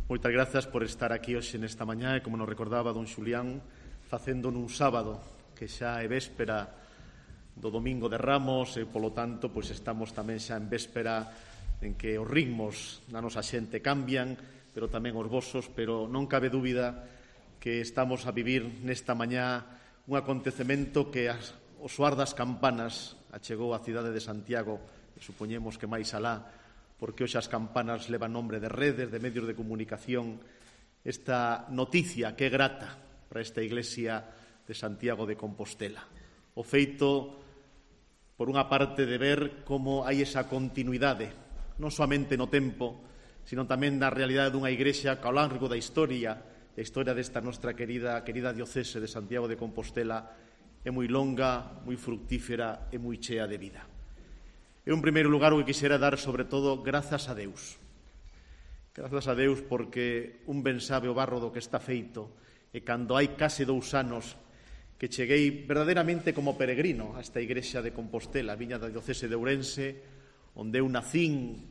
Moitas grazas por estar aquí hoxe nesta mañá e, como nos recordaba don Xulián, facendo nun sábado que xa é véspera do Domingo de Ramos e, polo tanto, pois estamos tamén xa en véspera en que os ritmos da nosa xente cambian, pero tamén os vosos, pero non cabe dúbida que estamos a vivir nesta mañá un acontecemento que o soar das campanas achegou á cidade de Santiago, e supoñemos que máis alá, porque hoxe as campanas levan nombre de redes, de medios de comunicación, esta noticia que é grata para esta iglesia de Santiago de Compostela. O feito, por unha parte, de ver como hai esa continuidade, non soamente no tempo, sino tamén na realidade dunha iglesia que ao largo da historia, a historia desta nosa querida diocese de Santiago de Compostela, é moi longa, moi fructífera e moi chea de vida. En un primeiro lugar, o que quixera dar, sobre todo, grazas a Deus. Grazas a Deus porque un ben sabe o barro do que está feito, e cando hai case 2 anos que cheguei verdadeiramente como peregrino a esta igrexa de Compostela, viña da diocese de Ourense, onde eu nacín,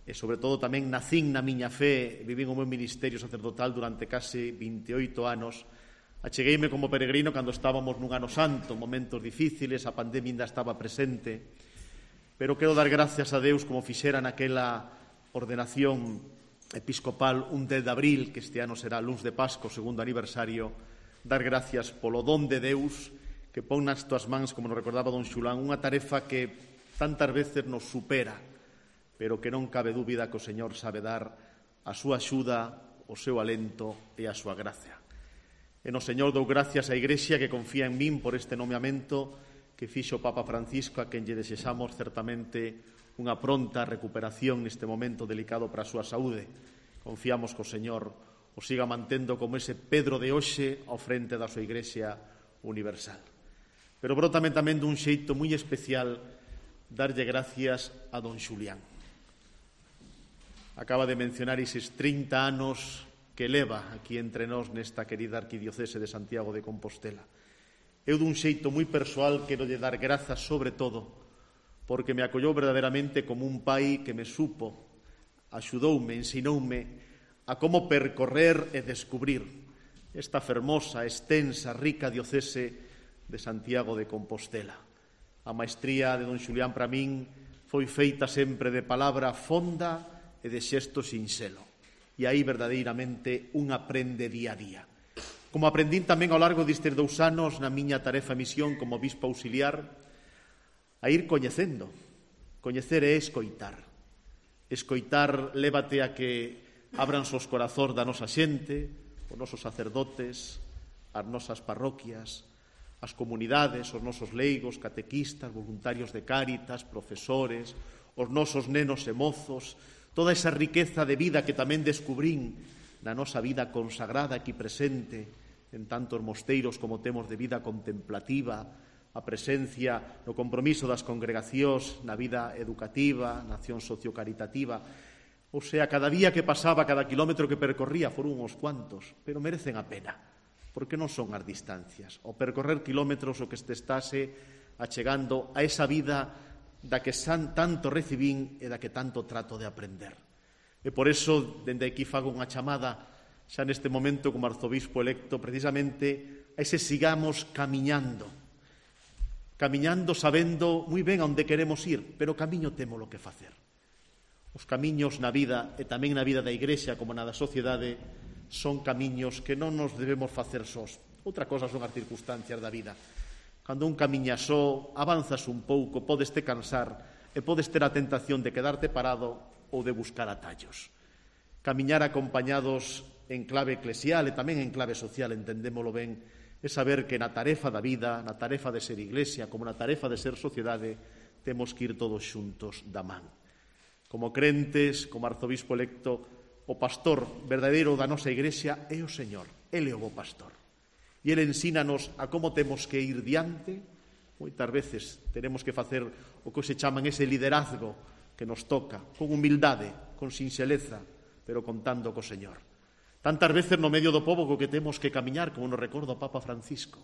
e sobre todo tamén nacín na miña fe, vivín o meu ministerio sacerdotal durante case 28 anos, achegueime como peregrino cando estábamos nun ano santo, momentos difíciles, a pandemia ainda estaba presente, pero quero dar gracias a Deus como fixera naquela ordenación episcopal un 10 de abril, que este ano será luns de Pascua, segundo aniversario, dar gracias polo don de Deus que pon nas túas mans, como nos recordaba don Xulán, unha tarefa que tantas veces nos supera, pero que non cabe dúbida que o Señor sabe dar a súa axuda, o seu alento e a súa gracia. E no Señor dou gracias á Igrexa que confía en min por este nomeamento que fixo o Papa Francisco, a quen lle desexamos certamente unha pronta recuperación neste momento delicado para a súa saúde. Confiamos que o Señor o siga mantendo como ese Pedro de hoxe ao frente da súa Igrexa universal. Pero brotame tamén dun xeito moi especial darlle gracias a don Xulián. Acaba de mencionar eses 30 anos que leva aquí entre nós nesta querida arquidiocese de Santiago de Compostela. Eu dun xeito moi persoal quero lle dar grazas sobre todo porque me acollou verdadeiramente como un pai que me supo, axudoume, ensinoume a como percorrer e descubrir esta fermosa, extensa, rica diocese de Santiago de Compostela. A maestría de don Xulián para min foi feita sempre de palabra fonda e de xesto sinxelo. E aí verdadeiramente un aprende día a día. Como aprendín tamén ao largo destes 2 anos na miña tarefa e misión como bispo auxiliar, a ir coñecendo. Coñecer é escoitar. Escoitar lévate a que abranse os corazóns da nosa xente, os nosos sacerdotes, as nosas parroquias, as comunidades, os nosos leigos, catequistas, voluntarios de Cáritas, profesores, os nosos nenos e mozos, toda esa riqueza de vida que tamén descubrín na nosa vida consagrada aquí presente, en tantos mosteiros como temos de vida contemplativa, a presencia no compromiso das congregacións, na vida educativa, na acción sociocaritativa. O sea, cada día que pasaba, cada kilómetro que percorría, foron uns cuantos, pero merecen a pena, porque non son as distancias. O percorrer kilómetros o que este estase achegando a esa vida da que tanto recibín e da que tanto trato de aprender. E por iso, dende aquí fago unha chamada xa neste momento como arzobispo electo, precisamente a ese sigamos camiñando sabendo moi ben a onde queremos ir, pero camiño temos lo que facer. Os camiños na vida e tamén na vida da Igrexa como na da sociedade son camiños que non nos debemos facer sós. Outra cosa son as circunstancias da vida. Cando un camiña só, avanzas un pouco, podes te cansar e podes ter a tentación de quedarte parado ou de buscar atallos. Camiñar acompañados en clave eclesial e tamén en clave social, entendémolo ben, é saber que na tarefa da vida, na tarefa de ser iglesia, como na tarefa de ser sociedade, temos que ir todos xuntos da man. Como crentes, como arzobispo electo, o pastor verdadeiro da nosa iglesia é o Señor, Ele é o bo pastor. E Ele ensínanos a como temos que ir diante. Moitas veces tenemos que facer o que se chaman ese liderazgo que nos toca, con humildade, con sinxeleza, pero contando co Señor. Tantas veces no medio do pobo co que temos que camiñar, como nos recorda o Papa Francisco,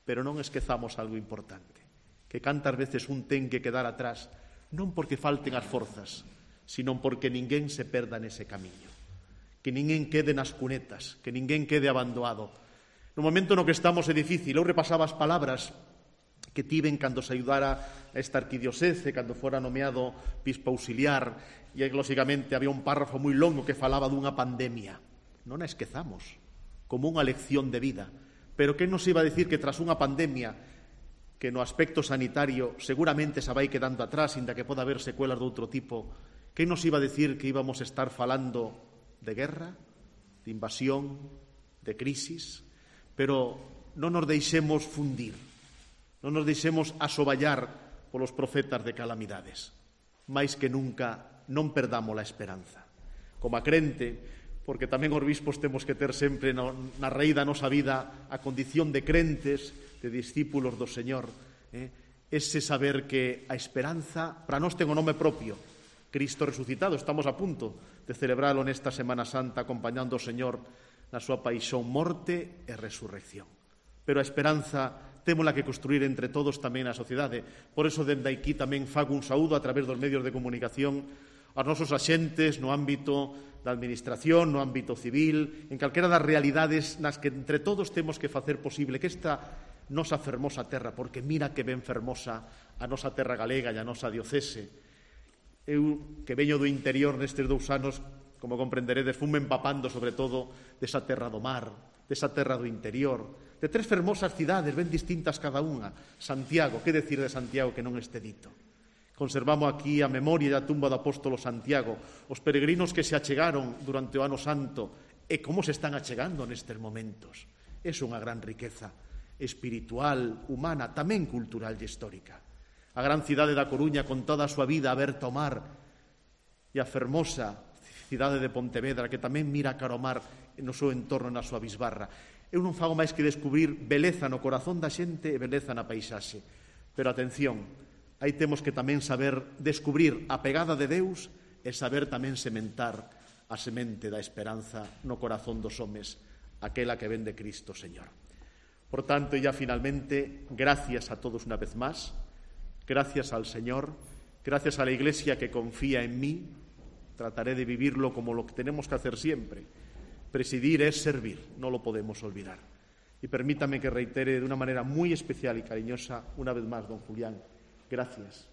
pero non esquezamos algo importante, que cantas veces un ten que quedar atrás, non porque falten as forzas, sino porque ninguén se perda nese camiño. que ninguén quede nas cunetas, que ninguén quede abandonado. No momento no que estamos é difícil. Eu repasaba as palabras que tiven cando se ayudara a esta arquidiocese, cando fora nomeado bispo auxiliar, e, lógicamente, había un párrafo moi longo que falaba dunha pandemia. Non a esquezamos como unha lección de vida. Pero que nos iba a decir que tras unha pandemia que no aspecto sanitario seguramente se vai quedando atrás, inda que poda haber secuelas de outro tipo, que nos iba a decir que íbamos a estar falando de guerra, de invasión, de crisis? Pero non nos deixemos fundir, non nos deixemos asoballar polos profetas de calamidades. Mais que nunca non perdamos a esperanza. Como a crente, porque tamén os bispos temos que ter sempre na raíz da nosa vida a condición de crentes, de discípulos do Señor, ese saber que a esperanza para nós ten o nome propio, Cristo resucitado. Estamos a punto de celebralo nesta Semana Santa acompañando ao Señor na súa paixón, morte e resurrección. Pero a esperanza témola que construir entre todos tamén na sociedade. Por eso, dende aquí tamén fago un saúdo a través dos medios de comunicación aos nosos axentes no ámbito da administración, no ámbito civil, en calquera das realidades nas que entre todos temos que facer posible que esta nosa fermosa terra, porque mira que ben fermosa a nosa terra galega e a nosa diocese. Eu, que veño do interior nestes 2 anos, como comprenderedes, fume empapando sobre todo desa terra do mar, desa terra do interior, de 3 fermosas cidades ben distintas cada unha. Santiago, que decir de Santiago que non este dito? Conservamos aquí a memoria da tumba do apóstolo Santiago, os peregrinos que se achegaron durante o ano santo e como se están achegando nestes momentos. É unha gran riqueza espiritual, humana, tamén cultural e histórica. A gran cidade da Coruña con toda a súa vida aberta ao mar e a fermosa cidade de Pontevedra que tamén mira cara ao mar no seu entorno na súa bisbarra. Eu non fago máis que descubrir beleza no corazón da xente e beleza na paisaxe. Pero atención, aí temos que tamén saber descubrir a pegada de Deus e saber tamén sementar a semente da esperanza no corazón dos homes, aquela que ven de Cristo Señor. Por tanto, ya finalmente, gracias a todos una vez más, gracias al Señor, gracias a la Iglesia que confía en mí, trataré de vivirlo como lo que tenemos que hacer siempre. Presidir es servir, no lo podemos olvidar. Y permítame que reitere de una manera muy especial y cariñosa, una vez más, don Julián, gracias.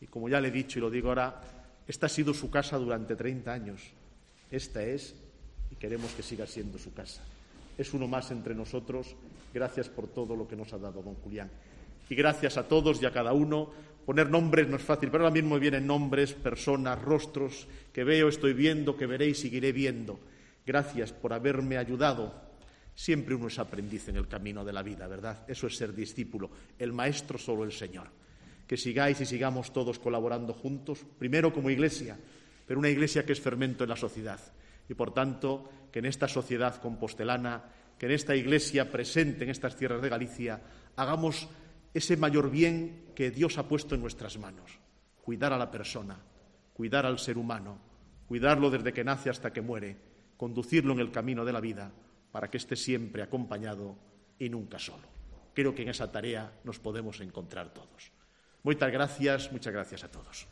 Y como ya le he dicho y lo digo ahora, esta ha sido su casa durante 30 años. Esta es, y queremos que siga siendo su casa. Es uno más entre nosotros. Gracias por todo lo que nos ha dado don Julián. Y gracias a todos y a cada uno. Poner nombres no es fácil, pero ahora mismo vienen nombres, personas, rostros que veo, estoy viendo, que veré y seguiré viendo. Gracias por haberme ayudado. Siempre uno es aprendiz en el camino de la vida, ¿verdad? Eso es ser discípulo. El maestro solo el Señor. Que sigáis y sigamos todos colaborando juntos, primero como Iglesia, pero una Iglesia que es fermento en la sociedad. Y por tanto, que en esta sociedad compostelana, que en esta Iglesia presente en estas tierras de Galicia, hagamos ese mayor bien que Dios ha puesto en nuestras manos. Cuidar a la persona, cuidar al ser humano, cuidarlo desde que nace hasta que muere, conducirlo en el camino de la vida para que esté siempre acompañado y nunca solo. Creo que en esa tarea nos podemos encontrar todos. Muchas gracias a todos.